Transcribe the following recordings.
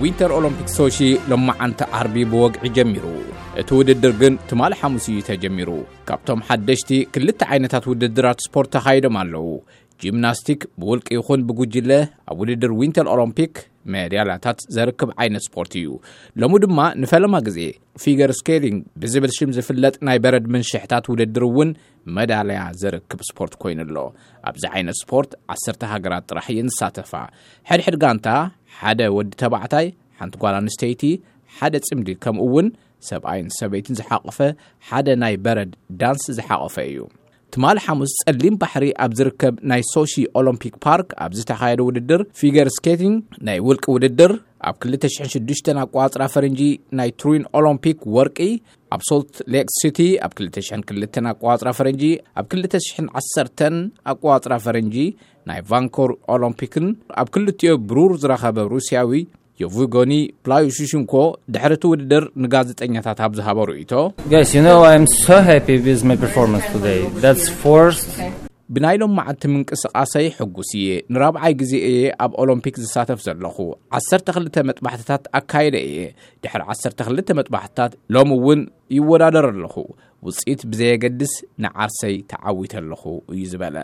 ኢንተር ኦሎምፒክ ሶሺ ሎማዓንቲ ዓርቢ ብወግዒ ጀሚሩ። እቲ ውድድር ግን ትማሊ ሓሙስ እዩ ተጀሚሩ። ካብቶም ሓደሽቲ ክልተ ዓይነታት ውድድራት ስፖርት ተኻይዶም ኣለዉ። ጂምናስቲክ ብውልቂ ይኹን ብጉጅለ ኣብ ውድድር ዊንተር ኦሎምፒክ ሜዳልያታት ዘርክብ ዓይነት ስፖርት እዩ። ሎሚ ድማ ንፈለማ ግዜ ፊገር ስኬቲንግ ብዝብል ሽም ዝፍለጥ ናይ በረድ ምንሽሕታት ውድድር እውን መዳልያ ዘርክብ ስፖርት ኮይኑ ኣሎ። ኣብዚ ዓይነት ስፖርት ዓሰርተ ሃገራት ጥራሕ እየን ዝሳተፋ። ሕድሕድ ጋንታ ሓደ ወዲ ተባዕታይ፣ ሓንቲ ጓል ኣንስተይቲ፣ ሓደ ጽምዲ፣ ከምኡ እውን ሰብኣይን ሰበይትን ዝሓቆፈ ሓደ ናይ በረድ ዳንስ ዝሓቆፈ እዩ። ትማሊ ሓሙስ ጸሊም ባሕሪ ኣብ ዝርከብ ናይ ሶሺ ኦሎምፒክ ፓርክ ኣብ ዝተኻየደ ውድድር ፊገር ስኬቲንግ ናይ ውልቂ ውድድር ኣብ ክልተ ሽሕን ሽዱሽተን ኣቋጽራ ፈረንጂ ናይ ትሩይን ኦሎምፒክ ወርቂ ኣብ ሶልት ሌክ ሲቲ ኣብ ክልተ ሽሕን ክልተን ኣቋጽራ ፈረንጂ ኣብ ክልተ ሽሕን ዓሰርተን ኣቋጽራ ፈረንጂ ናይ ቫንኮር ኦሎምፒክን ኣብ ክልቲኦ ብሩር ዝረኸበ ሩስያዊ የቭጎኒ ፕላዩሽሽንኮ ድሕሪ እቲ ውድድር ንጋዜጠኛታት ኣብ ዝሃቦ ርእይቶ፣ Guys, you know, I'm so happy with my performance today. That's first. ብናይ ሎም መዓልቲ ምንቅስቓሰይ ሕጉስ እየ። ንራብዓይ ግዜ እየ ኣብ ኦሎምፒክ ዝሳተፍ ዘለኹ። ዓሰርተ ክልተ መጥባሕትታት ኣካይደ እየ። ድሕሪ ዓሰርተ ክልተ መጥባሕትታት ሎም እውን ይወዳደር ኣለኹ። ውፅኢት ብዘየገድስ ንዓርሰይ ተዓዊተ ኣለኹ እዩ ዝበለ።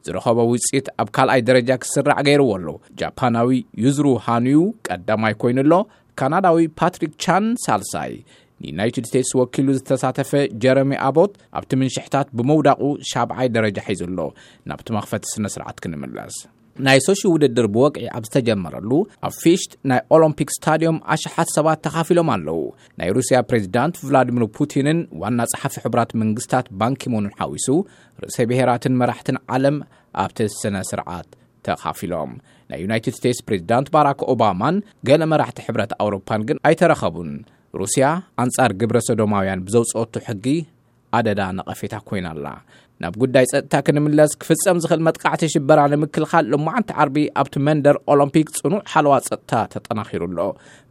ዝረኸቦ ውፅኢት ኣብ ካልኣይ ደረጃ ክስራዕ ገይርዎ ኣሎ። ጃፓናዊ ዩዝሩ ሃኑዩ ቀዳማይ ኮይኑ ኣሎ። ካናዳዊ ፓትሪክ ቻን ሳልሳይ። ንዩናይትድ ስቴትስ ወኪሉ ዝተሳተፈ ጀረሚ ኣቦት ኣብቲ ምንሽሕታት ብምውዳቑ ሻብዓይ ደረጃ ሒዙ ኣሎ። ናብቲ መኽፈቲ ስነ ስርዓት ክንምለስ። ናይ ሶሺ ውድድር ብወግዒ ኣብ ዝተጀመረሉ ኣብ ፊሽት ናይ ኦሎምፒክ ስታዲዮም ኣሽሓት ሰባት ተኻፊሎም ኣለዉ። ናይ ሩስያ ፕሬዚዳንት ቭላዲሚር ፑቲንን ዋና ጸሓፊ ሕቡራት መንግስታት ባንኪሙንን ሓዊሱ ርእሰ ብሔራትን መራሕትን ዓለም ኣብቲ ስነ ስርዓት ተኻፊሎም። ናይ ዩናይትድ ስቴትስ ፕሬዚዳንት ባራክ ኦባማን ገለ መራሕቲ ሕብረት ኣውሮፓን ግን ኣይተረኸቡን። ሩስያ ኣንጻር ግብረ ሰዶማውያን ብዘውፅኦቱ ሕጊ ኣደዳ ነቐፌታ ኮይና ኣላ። ናብ ጉዳይ ጸጥታ ክንምለስ፣ ክፍጸም ዝኽእል መጥቃዕቲ ሽበራ ንምክልኻል ሎማዓንቲ ዓርቢ ኣብቲ መንደር ኦሎምፒክ ጽኑዕ ሓለዋ ጸጥታ ተጠናኺሩ ኣሎ።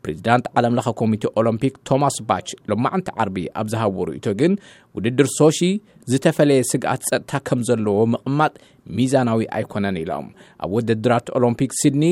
ፕሬዚዳንት ዓለም ለኸ ኮሚቴ ኦሎምፒክ ቶማስ ባች ሎማዓንቲ ዓርቢ ኣብ ዝሃቦ ርእይቶ ግን ውድድር ሶሺ ዝተፈለየ ስግኣት ጸጥታ ከም ዘለዎ ምቕማጥ ሚዛናዊ ኣይኮነን ኢሎም። ኣብ ውድድራት ኦሎምፒክ ሲድኒ፣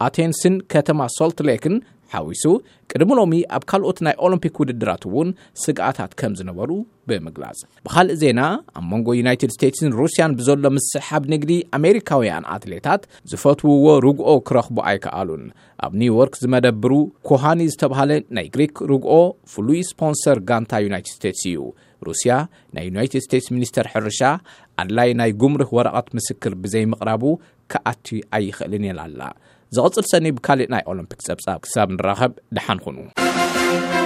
ኣቴንስን ከተማ ሶልት ሌክን ሓዊሱ ቅድሚ ሎሚ ኣብ ካልኦት ናይ ኦሎምፒክ ውድድራት እውን ስግኣታት ከም ዝነበሩ ብምግላጽ። ብኻልእ ዜና፣ ኣብ መንጎ ዩናይትድ ስቴትስን ሩስያን ብዘሎ ምስሕሓብ ንግዲ ኣሜሪካውያን ኣትሌታት ዝፈትውዎ ርግኦ ክረኽቡ ኣይከኣሉን። ኣብ ኒውዮርክ ዝመደብሩ ኮሃኒ ዝተባህለ ናይ ግሪክ ርግኦ ፍሉይ ስፖንሰር ጋንታ ዩናይትድ ስቴትስ እዩ። ሩስያ ናይ ዩናይትድ ስቴትስ ሚኒስተር ሕርሻ ኣድላይ ናይ ጉምሩክ ወረቐት ምስክር ብዘይምቕራቡ ክኣቲ ኣይኽእልን ኢላ ኣላ። ዝቕጽል ሰኒ ብካሊእ ናይ ኦሎምፒክ ጸብጻብ ክሳብ ንራኸብ ደሓን ኩኑ።